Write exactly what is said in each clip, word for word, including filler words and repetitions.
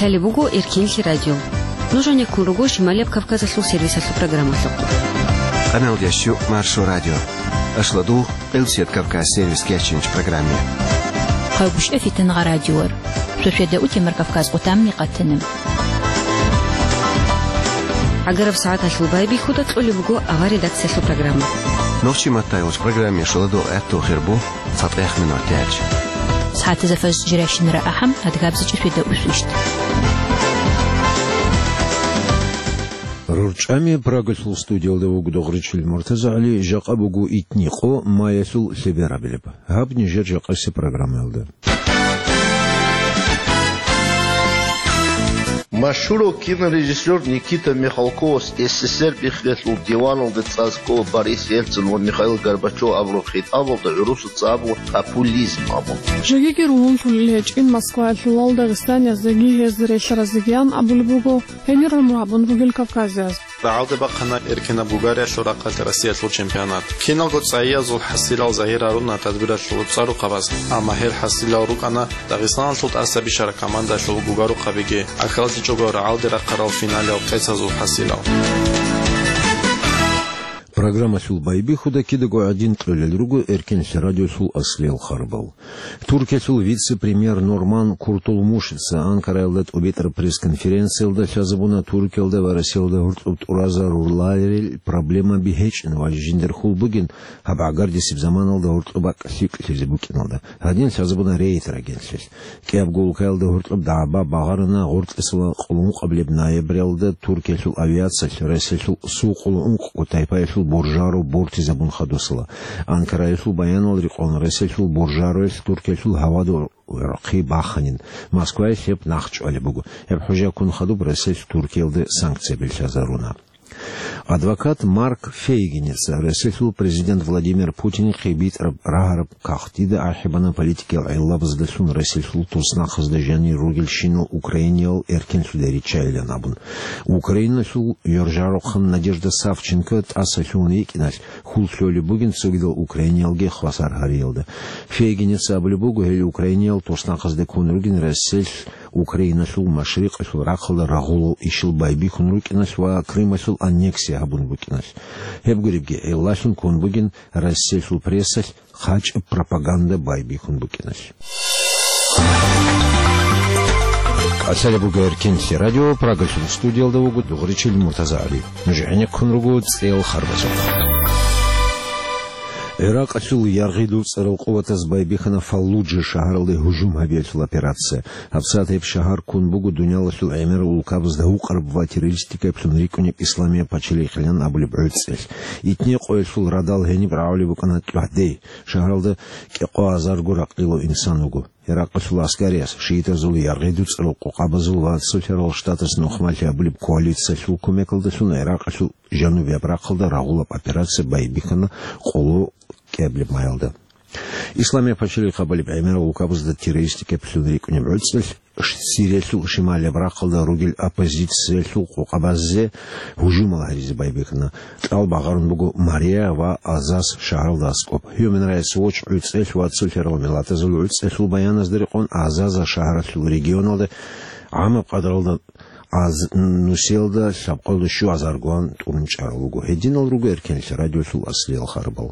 Лъалеб буго Эркенлъи радио. Нуж гьанеккун руго Шималияб Кавказалъул сервисалъул программалъухъ. Къаналдящу Маршо радио. Ашладул Къилсият Кавказ сервис кечинч программе. Хъавбушев Фитангъа радиор. Шошведа утемар Кавказ къутамни къатана. ГӀагараб сагӀаталъул байбихьуда кьолеб буго авар редакциялъул программа. Нохчи маттайулч программе шуладул гӀатту хирбу цатӀех минут яч. СагӀатаза фаз жиращинара ахӀам, адгабзичӀ шведа усвищт. РурчӀами Прагалъул студиялда вуго Дугъричил МуртазагӀали, жакъа буго итни къо маялъул лъеберабилеб. Гьаб нижер жакъаси программаялда. Машгьурав кинорежиссер Никита Михалковас СССР биххиялъул диваналда цӀар ккола Борис Ельцин ва Михаил Горбачев абураб хитӀабалда гӀурусаца абула популизм абун. Жогиги ругьунлъулел гьечӀин Москваялъулал дагъистанияздаги гьезда релълъаразегиян абулеб буго гьенир гӀумру гьабун ругел кавказияз. РагӀалде бахъана эркенаб Гугариялъул рахъалъ Россиялъул чемпионат. Киналго цӀайязул хӀасилал загьир гьаруна тадбиралъул цӀар-рукъабаз, амма гьел хӀасилал рукӀана Дагъистаналъул тӀаса бищараб командалъул гугарухъабиги, ахиралъичӀого рагӀалде рахъарал финалал къецазул хӀасилал. Программалъул байбихьуда кидаго гӀадин кьолел руго Эркенлъи радиолъул аслиял харбал. Туркиялъул вице-премьер Норман Куртулмушица Анкараялда тӀубитӀараб пресс-конференциялда лъазабуна Туркиялда ва Россиялда гьоркьоб тӀуразаруларел проблемаби гьечӀин ва жиндир хьул бугин гьаб гӀагардисеб заманалда гьоркьоб бакӀ лъикӀлъизе букӀиналда. Гьадин лъазабуна Рейтер агентлъиялъ. КӀиябго улкаялда гьоркьоб дагӀба багъарана гъоркьесул къоло ункъабилеб ноябралда Туркиялъул авиациялъ Россиялъул Су къоло ункъго тайпаялъул буржаро бортизабун хадусала. Анкараялъул баянал рекъон Россиялъул буржароялъ Туркиялъул гьавада гӀорхъи баханин. Москваялъ гьеб нахъчӀвалеб буго. Гьеб хӀужаялъ ккун хадуб Россиялъ Туркиялде санкцияби лъазаруна. Адвокат Марк Фейгиница Россиялъул президент Владимир Путинихъе битӀараб рагьараб кагътида ахӀи бана политикиял гӀиллабаздалъун Россиялъул туснахъазда жанир ругелщинал Украиниял эркенлъуде риччайилан абун. Украиналъул ёржарухъан Надежда Савченко тӀаса лъугьун йикӀиналъ, хьул лъолеб бугин цогидал украиниялги хвасар гьариялда. Фейгиница абулеб буго, гьел украиниял туснахъазда ккун ругин Россиялъ Украиналъул машрикъалъул рахъалда рагъулал ишал байбихьун рукӀиналъ ва Крымалъул аннексия гьабун букӀиналъ. Гьеб гуребги гӀиллалъун ккун бугин Россиялъул прессалъ хъачӀаб пропаганда байбихьун букӀиналъ. КӀалъалеб буго Эркенлъи радио, Прагалъул студиялда вуго Дугъричил МуртазагӀали. Нуж гӀенеккун руго цӀеял харбазухъ. ГӀиракъалъул яргъи дуцӀарал къуватаз байбихьана Фаллуджа шагьаралде гьужум гьабиялъул операция. ГьабсагӀат гьеб шагьар ккун буго дуниялалъул гӀемерал улкабазда гьукъараб ва террористикаблъун рикӀкӀунеб Исламияб пачалихъилан абулеб гӀуцӀелъ. Итни къоялъул радал гьениб рагӀулеб букӀана тӀухьдей. Шагьаралда кӀикъоазарго ракълилав инсан вуго. ГӀиракъалъул аскариябаз, шиитазул яргъи дуцӀарал къокъабазул ва Цоцерал Штатас нухмалъи абулеб коалициялъул кумекалдалъун ГӀиракъалъул жанубияб рахъалда рагъулаб операция байбихьана къоло кӀиабилеб майалда. Исламияб пачалихъ абулеб гӀемерал улкабазда террористикаблъун рикӀкӀунеб гӀуцӀелъ Сириялъул шималияб рахъалда ругел оппозициялъул къокъабазе гьужумал гьаризе байбихьана. Кьал багъарун буго Мария ва Азаз шагьаралда аскӀоб. Human Rights Watch гӀуцӀелъ ва Цоцерал миллатазул гӀуцӀелъул баяназда рекъон Азаза шагьаралъул регионалда гӀамаб къадралда аз-, нусиялда лъабкъоялда щуазаргоан тӀурун чӀарал руго. Гьединал руго Эркенлъи радиолъул аслиял харбал.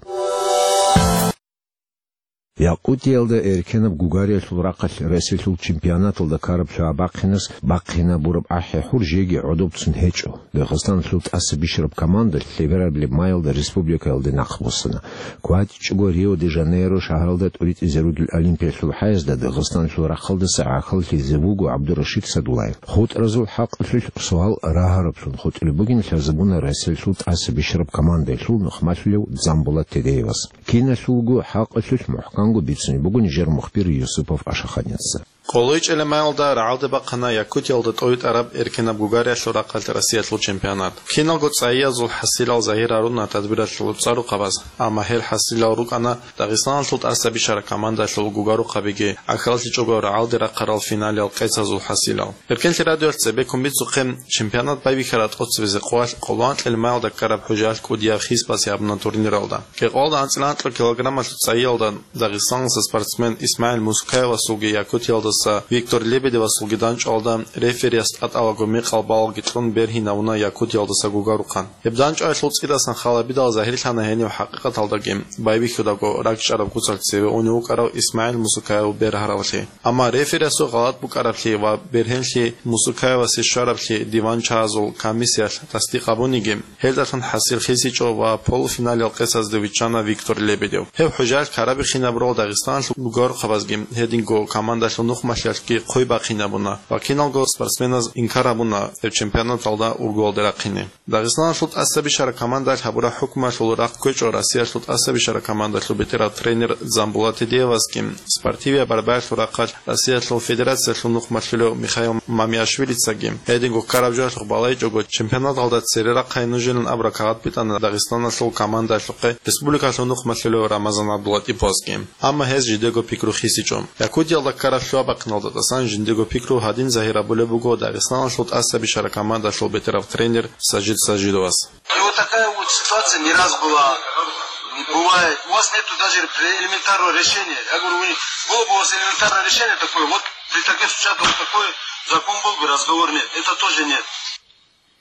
Якъутиялда эркенаб Гугариялъул рахъалъ Россиялъул чемпионаталда ккараб лъугӀа бахъинас бахъинабураб ахӀи-хӀур жеги гӀодобцун гьечӀо. Дагъистаналъул тӀаса бищараб команда лъеберабилеб майалда республикаялде нахъбуссана. КватӀичӀого Рио-де-Жанейро шагьаралда тӀуритӀизе ругел Олимпиялъул хӀаязда Дагъистаналъул рахъалдаса гӀахьаллъизе вуго ГӀабдурашид Садулаев. ХутӀразул хӀакъалъулъ суал рагьараблъун хутӀулеб бугин лъазабуна Россиялъул тӀаса бищараб командалъул нухмалъулев Дзамбулат Тедеевас. Киналъулго хӀакъалъулъ мухӀканго бицунеб буго нижер мухбир Юсупов Ашаханица. КӀолойчӀелемаялда рагӀалде бахъана Якутиялда тӀойтӀараб эркенаб Гугариялъул рахъалъ Россиялъул чемпионат. Киналго цӀайязул хӀасилал загьир гьаруна тадбиралъул цӀарухъабаз, амма гьел хӀасилал рукӀана Дагъистаналъул тӀаса бищараб командалъул гугарухъабиги, ахиралъичӀого рагӀалде рахъарал финалал къецазул хӀасилал. Эркенлъи радиоялъ цебеккун бицухъе, чемпионат байбихьараб тӀоцебизе къоялъ къоло анкьил маялда ккараб хӀужаялъ кӀудияб хьисбасе гьабуна турниралда. Кьекъоялда анцӀила анкьа килограммалъул цӀайялда Дагъистаналъул спортсмен ИсмагӀил Мускаевасулги Якутиялда Виктор Лебедевасулги данчӀвалда реферияс тӀатӀалаго мекъал балалги кьун бергьинавуна Якутиялдаса гугарухъан. Гьеб данчӀваялъул цӀидасан халабидал загьирлъана гьенив хӀакъикъаталдаги байбихьудаго ракӀчӀараб куцалъ цеве унев вукӀарав ИсмагӀил Мусукаев бергьаравлъи. Амма рефериясул гъалатӀ букӀараблъи ва бергьенлъи Мусукаевасе щвараблъи диван-чагьазул комиссиялъ тасдикъ гьабуниги, гьелдалъун хӀасил хисичӀо ва полуфиналил къецазде виччана Виктор Лебедев. Гьеб хӀужаялъ ккарабихьинабурал Дагъистаналъул гугарухъабазги гьединго командалъул нухмалъиялъги хъвей бахъинабуна ва киналго спортсменаз инкар гьабуна гьеб чемпионаталда ургуялде рахъине. Дагъистаналъул тӀасабищараб командаялъ гьабураб хӀукмуялъул рахъ кквечӀо Россиялъул тӀасабищараб командалъул бетӀерав тренер Дзамбулат Эдеевасги, спортивияб борьбаялъул рахъалъ Россиялъул Федерациялъул нухмалъулев Михаил Мамиашвилицаги, гьединго ккараб жоялъухъ балайчӀого, чемпионаталда цере рахъай нужилан абураб кагъат битӀана Дагъистаналъул командаялъухъе республикалъул нухмалъулев Рамазан ГӀабдулатӀиповасги. Амма гьез жидего пикру хисичӀо. Якутиялда ккараб лъугьа-бахъиналда тӀасан жиндего пикру гьадин загьир гьабулеб буго Дагъистаналъул тӀасабищараб командалъул бетӀерав тренер Сажид Сажидовас. И вот такая вот ситуация не раз была. Бывает. У вас нету даже элементарного решения. Я говорю, у них было бы у вас элементарное решение такое, вот при таких случаях вот такой закон был бы, разговор нет. Это тоже нет.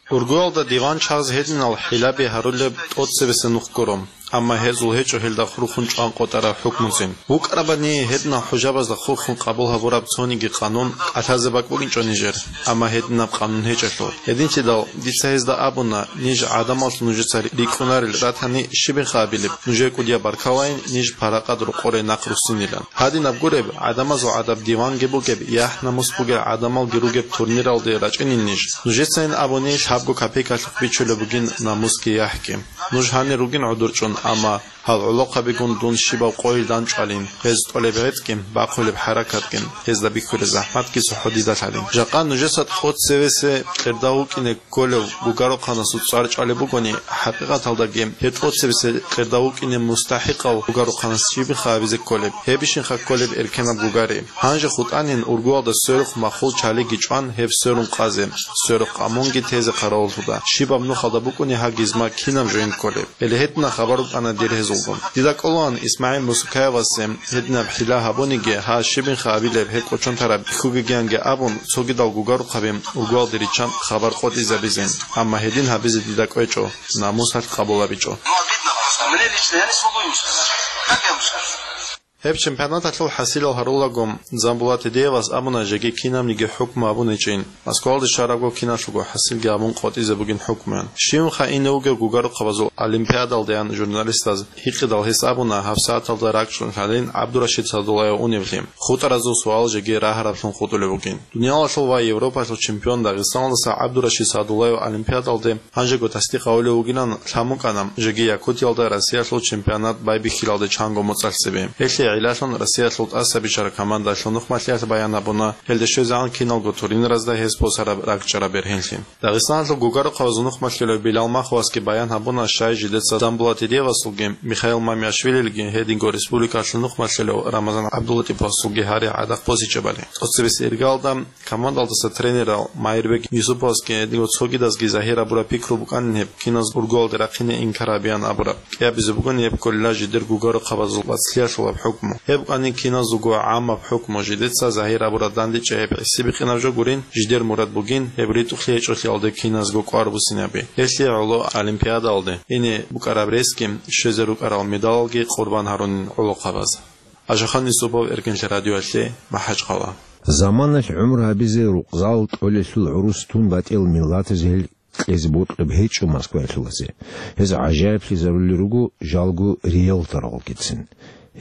Ургуялда диван-чагьаз гьединал хӀилаби гьарулеб тӀоцебесеб нух гуро, амма гьезул гьечӀо гьелда хурхун чӀван къотӀараб хӀукмуцин. ВукӀарабани гьединал хӀужабазда хурхун къабул гьабураб цониги къанун кӀалъазе бакӀ бугинчӀо нижер, амма гьединаб къанун гьечӀелъул. Гьединлъидал дица гьезда абуна, ниж гӀадамаллъун нужеца рикӀкӀунарел ратани щибинха абилеб, нужее кӀудияб баркалайин, ниж паракъат рокъоре нахъ руссинилан. Гьадинаб гуреб, гӀадамазул гӀадаб диванги бугеб, яхӀ-намус бугел гӀадамалги ругеб турниралде рачӀинин ниж. Нужецайин абуни лъабго копейкалъухъ бичулеб бугин намусги яхӀги. Нуж гьанир ругин гӀодорчӀун, амма гьал гӀолохъабигун дун щибаб къойил данчӀвалин, гьез тӀолеб гӀетӀги, бахъулеб хӀаракатги гьезда бихьулеб захӀматги цохӀо дида лъалин. Жакъа нужеца тӀоцебесеб кьерда вукӀине кколев гугарухъанасул цӀар чӀвалеб бугони, хӀакъикъаталдаги гьеб тӀоцебесеб кьерда вукӀине мустахӀикъав гугарухъанас щибинха абизе кколеб, гьебищинха кколеб эркенаб гугари. Гьанже хутӀанин ургуялда сверухъ махул чалиги чӀван гьеб сверун къазе, сверухъ амунги тезе хъаравуллъуда, щибаб нухалда букӀуни гьагизма кинаб жоин кколеб. Гьеле гьедина хабар букӀана дир гьезулгун. Дида кӀолаан ИсмагӀил Мусукаевасе гьединаб хӀила гьабуниги, гьа щибинха абилеб гьеб кӀочон тараб бихьугегианги абун, цогидал гугарухъаби ургуялде риччан хабар къотӀизабизе, амма гьедин гьабизе дида кӀвечӀо, намусалъ къабулабичӀо. Ну, обидно просто. Мне лично, я не смогу ему сказать. Как я ему скажу? Гьеб чемпионаталъул хӀасилал гьарулаго, Дзамбулат Эдеевас абуна жеги кинабниги хӀукму гьабун гьечӀин. Москвалде щварабго киналъулго хӀасилги гьабун къотӀизе бугин хӀукмуян. Щивнха ине вугев гугарухъабазул олимпиадалдеян журналистаз гьикъидал гьес абуна гьабсагӀаталда ракӀчӀун лъалин ГӀабдурашид Садуллаев уневлъи. ХутӀаразул суал жеги рагьараблъун хутӀулеб бугин. Дуниялалъул ва Европалъул чемпион Дагъистаналдаса ГӀабдурашид Садуллаев олимпиадалде гьанжего тасдикъ гьавулев вугилан лъан букӀана, жеги Якутиялда Россиялъул чемпионат байбихьилалде чанго моцӀалъ цебе. Гьелъие гӀиллалъун Россиялъул тӀасабищараб командалъул нухмалъиялъ баян гьабуна, гьелде щвезегӀан киналго турниразда гьес босараб ракӀчӀараб бергьенлъи. Дагъистаналъул гугарухъабазул нухмалъулев Билал Маховасги баян гьабуна, щай жидеца Дзамбулат Эдеевасулги, Михаил Мамиашвилилги, гьединго республикалъул нухмалъулев Рамазан ГӀабдулатӀиповасулги гьаригӀ гӀадахъ босичӀебали. ТӀоцебесеб иргалда командалдаса тренерал Майирбек Юсуповасги гьединго цогидазги загьир гьабураб пикру букӀанин гьеб киназ ургуялде рахъине инкар гьабеян абураб. КӀиабизе бугони гьеб кколила жидер гугарухъабазул вацлъиялъулаб хӀукму. Гьеб букӀанин киназулго гӀаммаб хӀукму, жидеца загьир гьабураб дандечӀей гьеб гӀисибихъинаб жо гурин, жидер мурад бугин, гьеб ритӀухълъи гьечӀолъиялде киназго кӀвар буссинаби. Гьелъие гӀоло олимпиадалде ине букӀараб ресги, щвезе рукӀарал медалалги къурбан гьарунин гӀолохъабаз. Ашахан Юсупов, Эркенлъи радиоялъе, МахӀачхъала. Заманалъ гӀумру гьабизе рукъзал кьолелъул гӀурус тун батӀиял миллатазе гьел кьезе бокьун гьечӀо Москваялъулазе. Гьез гӀажаиблъизарули руго жалго риэлторалгицин.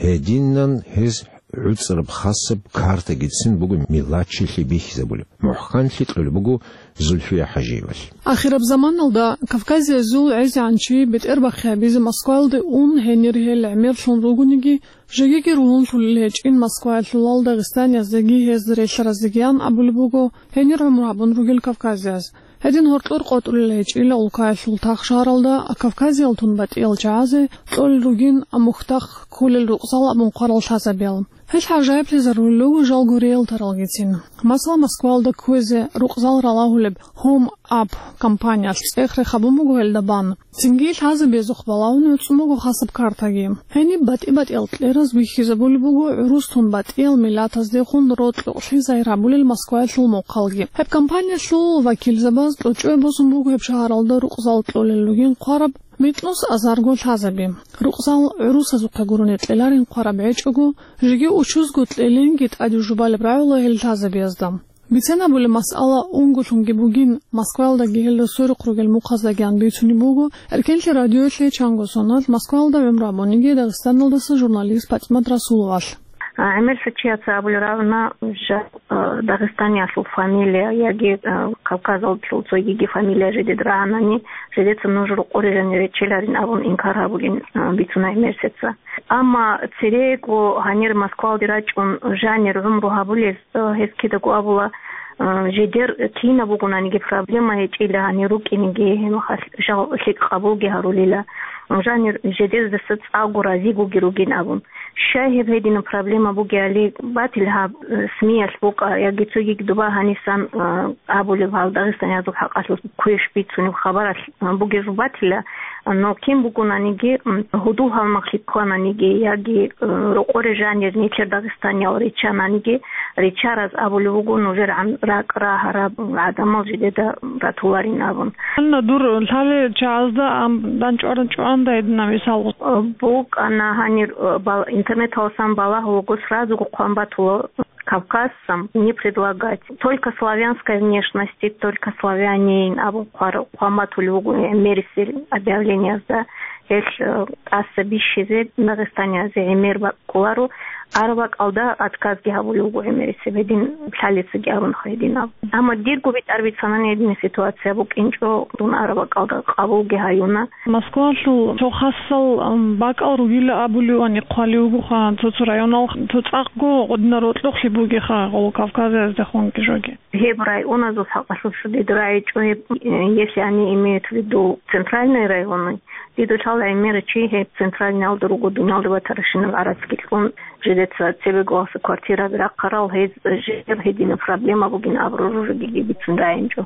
Гьединан гьез гӀуцӀраб хасаб картагицин буго миллатчилъи бихьизабулеб. МухӀканлъи кьолеб буго Зульфия ХӀажиевалъ. Ахираб заманалда кавказиязул гӀезегӀанчи бетӀербахъи гьабизе Москваялде ун, гьенир гьел гӀемерлъун ругониги, жегиги ругьунлъулел гьечӀин москваялъулал дагъистанияздаги гьезда релълъаразегиян абулеб буго гьенир гӀумру гьабун ругел кавказияз. Гьедин гьоркьор къотӀрулел гьечӀила улкаялъул тахшагьаралда Кавказиялтун батӀиял чагӀазе цӀолел ругин мухьдахъ кколел рукъзал абун хъварал лъазабиял. Гьел гӀажаиблъизарулел руго жалго риэлторалгицин. Масала, Москваялда кквезе рукъзал ралагьулеб Home App компаниялъ цӀех рехабун буго гьелда бан. Цинги лъазабиязухъ балагьун гӀуцӀун буго хасаб картаги. Гьениб батӀи-батӀиял кьераз бихьизабулеб буго гӀурус тун батӀиял миллатаздехун рокьукълъи загьир гьабулел Москваялъул мухъалги. Гьеб компаниялъул вакилзабаз кьучӀое босун буго гьеб шагьаралда рукъзал кьолел ругин хъвараб микьнус азарго лъазаби. Рукъзал гӀурусазухъе гурони кьеларин хъвараб гьечӀого, жеги учузго кьелинги тӀаде жубалеб рагӀула гьел лъазабиязда. Бицен абулеб масъала унголъунги бугин, Москваялдаги гьелда сверухъ ругел мухъаздагиян бицунеб буго, Эркенлъи радиоялъе чанго соналъ Москваялда гӀумру гьабуниги Дагъистаналдаса журналист ПатӀимат Расуловалъ. А, гӀемерса чияца абулеб рагӀуна, жа-, а, Дагъистаниялъул фамилия яги, а, Кавказалдалъул цогиги фамилия жидед рагӀанани, жидеца нуж рокъоре жанир речеларин абун инкар гьабулин, а, бицуна гӀемерсеца. Амма церего гьанир Москвалде рачӀун жанир гӀумру гьабулез, э, гьез кидаго абула, э, жидер кинаб бугонаниги проблема гьечӀила гьанир рукӀинеги, гьеб мехалъ жал лъикӀ къабулги гьарулила. Жанир жидездаса цӀакъго разигоги ругин абун. Щай гьеб гьединаб проблема бугеали, батил гьаб, э, СМИялъ букӀа, яги цогиги доба гьанисан, э, абулеб гьал дагъистаниязул хӀакъалъулъ квеш бицунеб хабаралъ, э, бугеб батила, но кин бугонаниги, м, гьудул-гьалмагълъи ккананиги, яги, э, рокъоре жанир нилъер дагъистаниял риччананиги, риччараз абулеб буго нужер гӀан-, ракӀ рагьараб гӀадамал жидеда ратуларин абун. Гьанна дур лъалел чагӀазда ам-, дандчӀван-, чӀванда гьедина мисал. Э, букӀана гьанир, э, бал-, интернеталасан балагьулаго сразуго хъван батула Кавказцам не предлагать. Только славянской внешности, только славянин абун хъвар-, хъван батулев вуго гӀемерисел объявлениязда. Гьелъ, э, тӀаса бищизе Дагъистаниязе гӀемер бакӀуларо, араб бакӀалда отказги гьабулев вуго гӀемерисеб, гьедин лъалецаги абун гьединаб. Амма дирго битӀараб бицанани гьедин ситуация букӀинчӀо, дун араб бакӀалда къабулги гьаюна. Москвалъул цо хасал, ам, бакӀал ругила абулевани хъвалев вугоха, цо-цо районал, цо цӀакъго гъудина рокьукълъи бугеха гъол Кавказаздехунги жоги. Гьеб районазул хӀакъалъулъ дид рагӀичӀо гьеб, э, если они имеют в виду центральные районы, дидулъал гӀемерачи гьеб центральниялда руго, дуниялда батарашинаб гӀарацги кьун, жидеца цебеголаса квартираби рахъарал, гьез жер гьедина проблема бугин абураб жо жеги бицун рагӀинчӀо.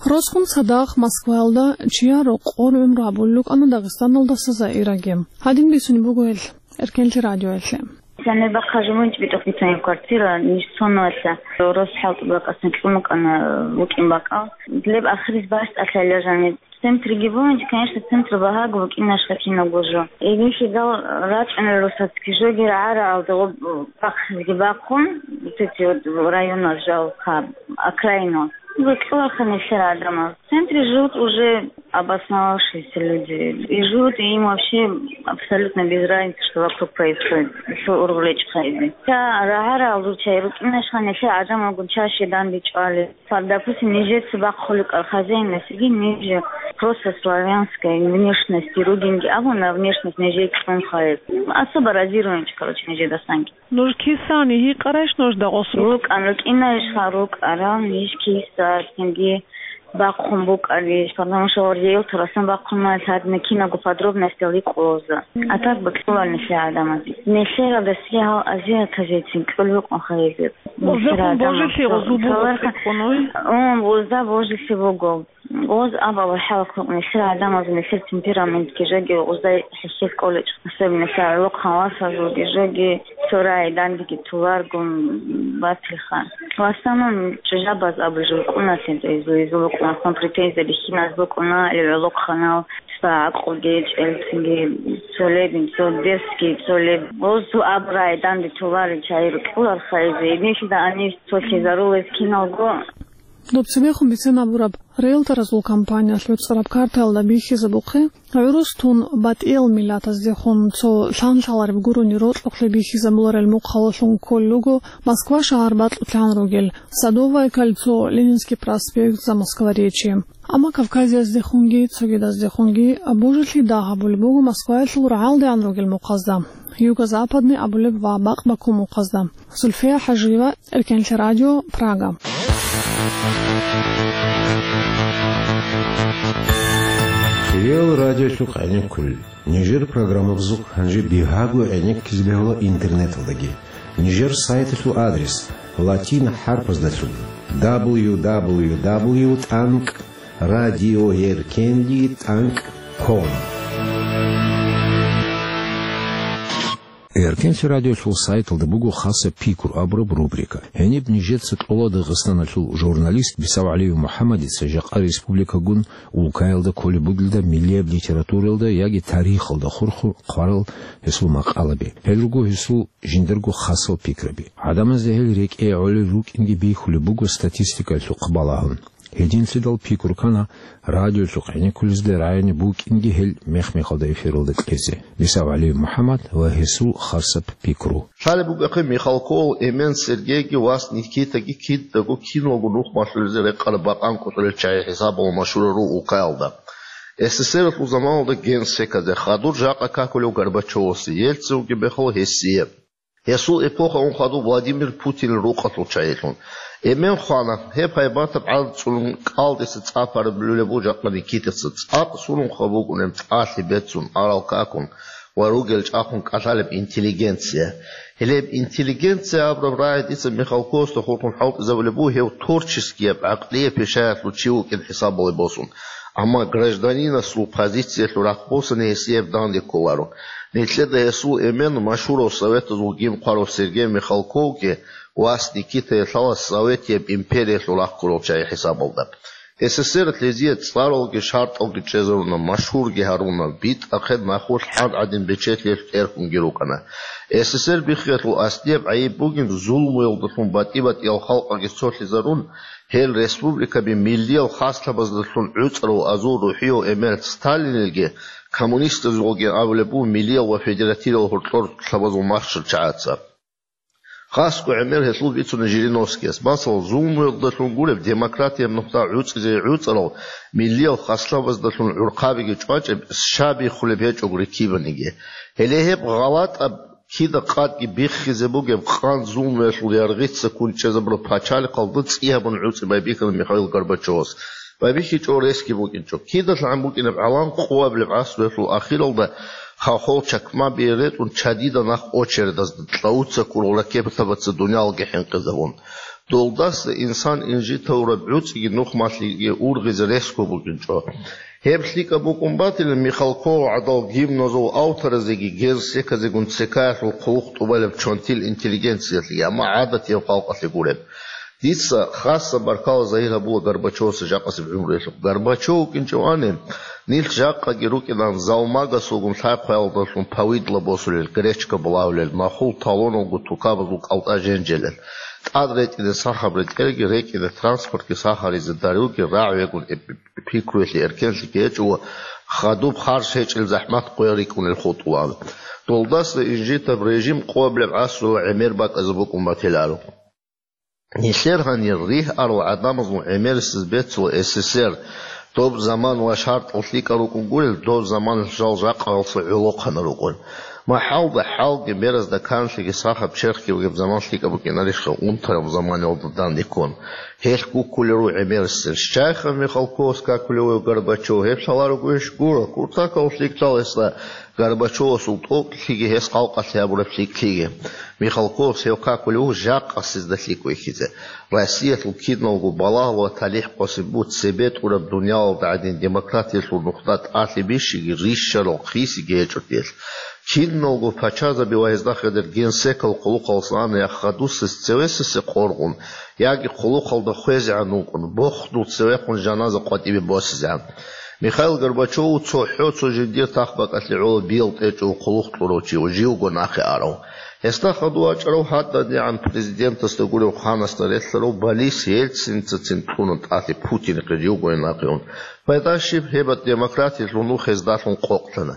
Росхъун цадахъ Москваялда чияр рокъор гӀумру гьабулел рукӀана Дагъистаналдаса Заираги. Гьадин бицунеб буго гьел Эркенлъи радиоялъе. Сенебахъа жумунч битӀухъ бицунеб квартира, ниж цонулъа рос хӀалтӀу бакӀасан кьун букӀана, букӀин бакӀал. Леб ахирис бащтӀалъайла жаниб. Центриги бугьанчи, конечно, центру багьаго букӀинашха кинабго жо. Гьединлъидал рачӀунел росацги жоги рагӀараалда гъоб бахъизги бахъун, вот эти вот районал жал, ха, окраинал. Векьуларха нилъер гӀадамал. В центре живут уже обосновавшиеся люди. И живут, и им вообще абсолютно без разницы, что вокруг происходит. Нилъер ургъулечӀ хайзе. Ца рагӀараал ручай рукӀинашха нилъер гӀадамалгун чаще данде чӀвали. Ва, допустим, нижеца бахъуликӀал хозяинасеги, ниже просто славянская внешность ругинги абуна, внешность нижее кьун хайз. Особо разируемчи, короче, нижедасанги. Нуж кисани гьикъарайш нужда гъосул? РукӀан, рукӀинайишха рукӀарал, ниж киса, цинги бахъун букӀариш, потому что гьордиял турасан бахъуна, лъадна кинабго подробностял икъулаза. А так бакьулал нилъер гӀадамазе. Нилъерал дасги гьал азиатазецин кьул букӀун хайзе. Узда божиси гъозу буго цӀикӀкӀуной? Ун, узда божиси буго. Гъоз абал хӀалхъ нилъер гӀадамаз, нилъер темпераментги жоги, узда хӀехьел кӀолечӀ, особенно гӀолохъан васазулги жоги, цо рагӀи дандеги туларгун батилха. В основном чӀужабаз абулеб букӀуна, изу-изу букӀуна, хон претензия бихьиназ букӀуна, гӀолохъанал, цо гӀакълуги, чӀелцинги, цолебин, цо дерсги, цолеб. Гъоз цо абурай данде тулари чай рукӀуларха изу, гьединлъидал гьанив цо лъезарулез киналго. Доб цебехун бицен абураб, риэлторазул компаниялъ гӀуцӀараб картаялда бихьизабухъе, гӀурус тун батӀиял миллатаздехун цо лъан-лъалареб гурони рокьухълъи бихьизабуларел мухъалалъун кколел руго Москва шагьар бакьулъан ругел, Садовое кольцо, Ленинский проспект, Замоскворечье. Амма Кавказияздехунги цогидаздехунги божилъи дагь гьабулеб буго Москваялъул рагӀалдеян ругел мухъазда, юго-западный абулеб ва бакъ-баккун мухъазда. Зульфия ХӀажиева, Эркенлъи радио, Прага. Ил радиолъухъ гӀенеккулел. Нижер программабазухъ гьанже бигьаго гӀенеккизе бегьула интернеталдаги. Нижер сайталъул адрес: латин хӀарпаздалъун: дабл ю дабл ю дабл ю тӀанкӀ радиоеркенлъи тӀанкӀ ком. Эркенлъи радиолъул сайталда буго хасаб пикру абураб рубрика. Гьениб нижеца кьола Дагъистаналъул журналист БицаугӀалиев МухӀаммадица жакъа республикагун улкаялда кколеб бугелда миллияб литературалда яги тарихалда хурхун хъварал гьесул макъалаби. Гьел руго гьесул жиндарго хасал пикраби. ГӀадамазда гьел рекӀее гӀолел рукӀинги бихьулеб буго статистикалъухъ балагьун. Гьединлъидал пикру ккана радиолъухъ гӀенеккулезда рагӀине букӀинги гьел мех-мехалда эфиралда кьезе. БицаугӀалиев МухӀаммад ва гьесул хасаб пикру. Лъалеб букӀахъе, Михалковал Эмен Сергейги вас Никитаги кидаго киналго нух малъулезе рекъараб бакъан кӀутӀулел чагӀи хӀисабалда машгьурал руго улкаялда. СССР-алъул заманалда генсеказе, хадур жакъа какулев Горбачевасе, Ельцин вугеб мехалъ гьесие. Гьесул эпохаялъ хадув Владимир Путинил рукъалъул чагӀилъун. Эмен хвана, гьеб гьайбатаб гӀадат цӀунун кӀалдиса цӀа параб лъулеб буго жакъа Никитаца, цӀакъ сурунха букӀунеб тӀалъи бецун, арал какун ва ругел чӀахъун кӀалъалеб интеллигенция. Гьелеб интеллигенция абураб рагӀи дица Михалковасда хурхун хӀалтӀизабулеб буго гьев творческияб, гӀакълияб пишаялъул чи вукӀин хӀисабалде босун. Амма гражданинасул позициялъул рахъ босани гьесие данде кколаро. Нилъеда гьесул Эмен машгьурав советазул гимн хъварав Сергей Михалковги вас Никитаги лъала Советияб империялъул рахъ ккурал чагӀи хӀисабалда. СССР-алъ гьезие цӀаралги шартӀалги чӀезаруна, машгьурги гьаруна, битӀахъе нахулъ гьан гӀадин бечелъиялъ тӀерхьунги рукӀана. СССР биххиялъул аслияб гӀайиб бугин зулмуялдалъун батӀи-батӀиял халкъалги цолъизарун, гьел республикаби миллиял хаслъабаздалъун гӀуцӀарав азул рухӀияв Эмер Сталинилги, коммунистазулги абулеб буго миллиял ва федеративал гьоркьор лъабазул махщел чагӀаца. Хасго гӀемер гьелъул бицуна Жириновскияс. Масала, зулмуялдалъун гуреб, демократияб нухда гӀуцӀизе гӀуцӀарал миллиял хаслъабаздалъун гӀурхъабиги чӀвачӀеб, щай биххулеб гьечӀого рикибаниги. Гьеле гьеб гъалатӀаб кида къадги биххизе бугеб къан зулмуялъул яргъица ккун чӀезабураб пачалихъалда цӀи гьабун гӀуцӀи байбихьана Михаил Горбачевас. БайбихьичӀого ресги букӀинчӀо. КидалъгӀан букӀинеб гӀалам къоабилеб гӀасруялъул ахиралда хохол чакмабие ретӀун чадида нах очередазда, кьавуца ккурал ракетабаца дуниялги хӀинкъизабун. Долдаса инсан инжитавураб гӀуцӀиги нухмалъиги ургъизе ресго букӀинчӀо. Гьеб лъикӀаб букӀун батила Михалков гӀадал гимназул авторазеги генсеказегун цекаялъул хъулухъ тӀубалеб чонтил интеллигенциялъеги, амма гӀадатияв халкъалъе гуреб. Дица хасаб баркала загьир гьабула Горбачевасда жакъасеб гӀумруялъухъ. Горбачев вукӀинчӀевани, нилъ жакъаги рукӀинан залмагасулгун лъай-хъваялдалъун повидло босулел, гречка булагьулел, нахул талоналго тукабазул кӀалтӀа женжелел, тӀад ретӀине сахаб ретӀелги, рекӀине транспортги сахаризе дарулги рагӀ вегун эб-, пикруялъе эркенлъиги гьечӀого, хадуб харж гьечӀел захӀмат къоял рикӀкӀунел хутӀулаан. Долдаса инжитаб режим къоабилеб гӀасруялда гӀемер бакӀазе букӀун батиларо. Нилъер гьанир ригь арал гӀадамазул гӀемерисез бецула СССР, доб заман ва шартӀал лъикӀал рукӀун гурел, доб заманалъ жал жакъаялъул гӀолохъанал рукӀун. МахӀалда хӀалги, беразда канлъиги, сахаб черхги бугеб заман лъикӀаб букӀинарищха унтараб заманалда данде ккун? Гьелъ гуккулел руго гӀемерисез. Щайха Михалковас какулев вугев Горбачев, гьеб лъаларогойищ? Гуро, куртакалъ лъикӀлъала гьесда Горбачевасул тӀокӀлъиги гьес халкъалъе гьабураб лъикӀлъиги. Михалковас гьев какулев вуго жакъасезда лъикӀ вихьизе. Россиялъул киналго балагьал ва талихӀ къосин буго цебе тӀураб дуниялалда гӀадин демократиялъул нухда тӀалъи бищиги, рищарал хисиги гьечӀо телъ. Киналго пачазаби ва гьезда хадур генсекал хъулухъалдасан ана я хадусес цевесесе къоргъун, яги хъулухъалда хвезегӀан вукӀун, бохун цевехун жаназа къватӀибе босизегӀан. Михаил Горбачев цохӀо цо жиндир тахбакӀалъе гӀоло биялтӀечӀого хъулухъ кьурав чи ва живго нахъе арав. Гьесда хадув вачӀарав гьадинабгӀан президентасда гурев ханасда релълъарав Борис Ельциницацин кьуна тӀалъи Путинихъе живго нахъе ун. Пайда щиб, гьеб демократиялъул нух гьездалъун къокълъана.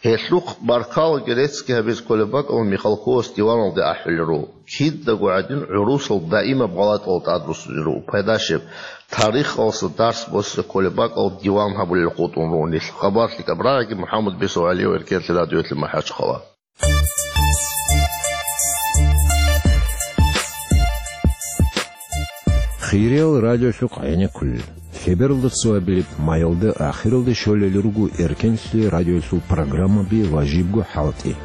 Гьелъухъ баркалаги реццги гьабизе кколеб бакӀалда Михалковас диваналде ахӀулел руго. Кидаго гӀадин гӀурусал даимаб гъалатӀал тӀадруссине руго. Пайда щиб, тарихалъа дарс босизе кколеб бакӀалда диван гьабулел хутӀун руго нилъ. Хабар лъикӀаб рагӀиги, МухӀаммад БицаугӀалиев, Эркенлъи радиоялъе, МахӀачхъала. Хириял радиолъухъ гӀенеккулел. Лъебералда цоабилеб майалда ахиралде щолел руго Эркенлъи радиоялъул программаби ва жибго хӀалтӀи.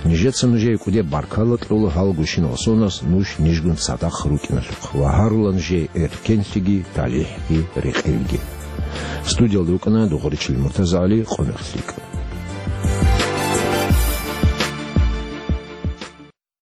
Нижеца нужее кӀудияб баркала кьола гьал гущинал соназ нуж нижгун цадахъ рукӀиналъухъ ва гьарула нужее эркенлъиги, талихӀги, рекъелги. Студиялда рукӀана Дугъричил МуртазагӀали, Къумехлъи.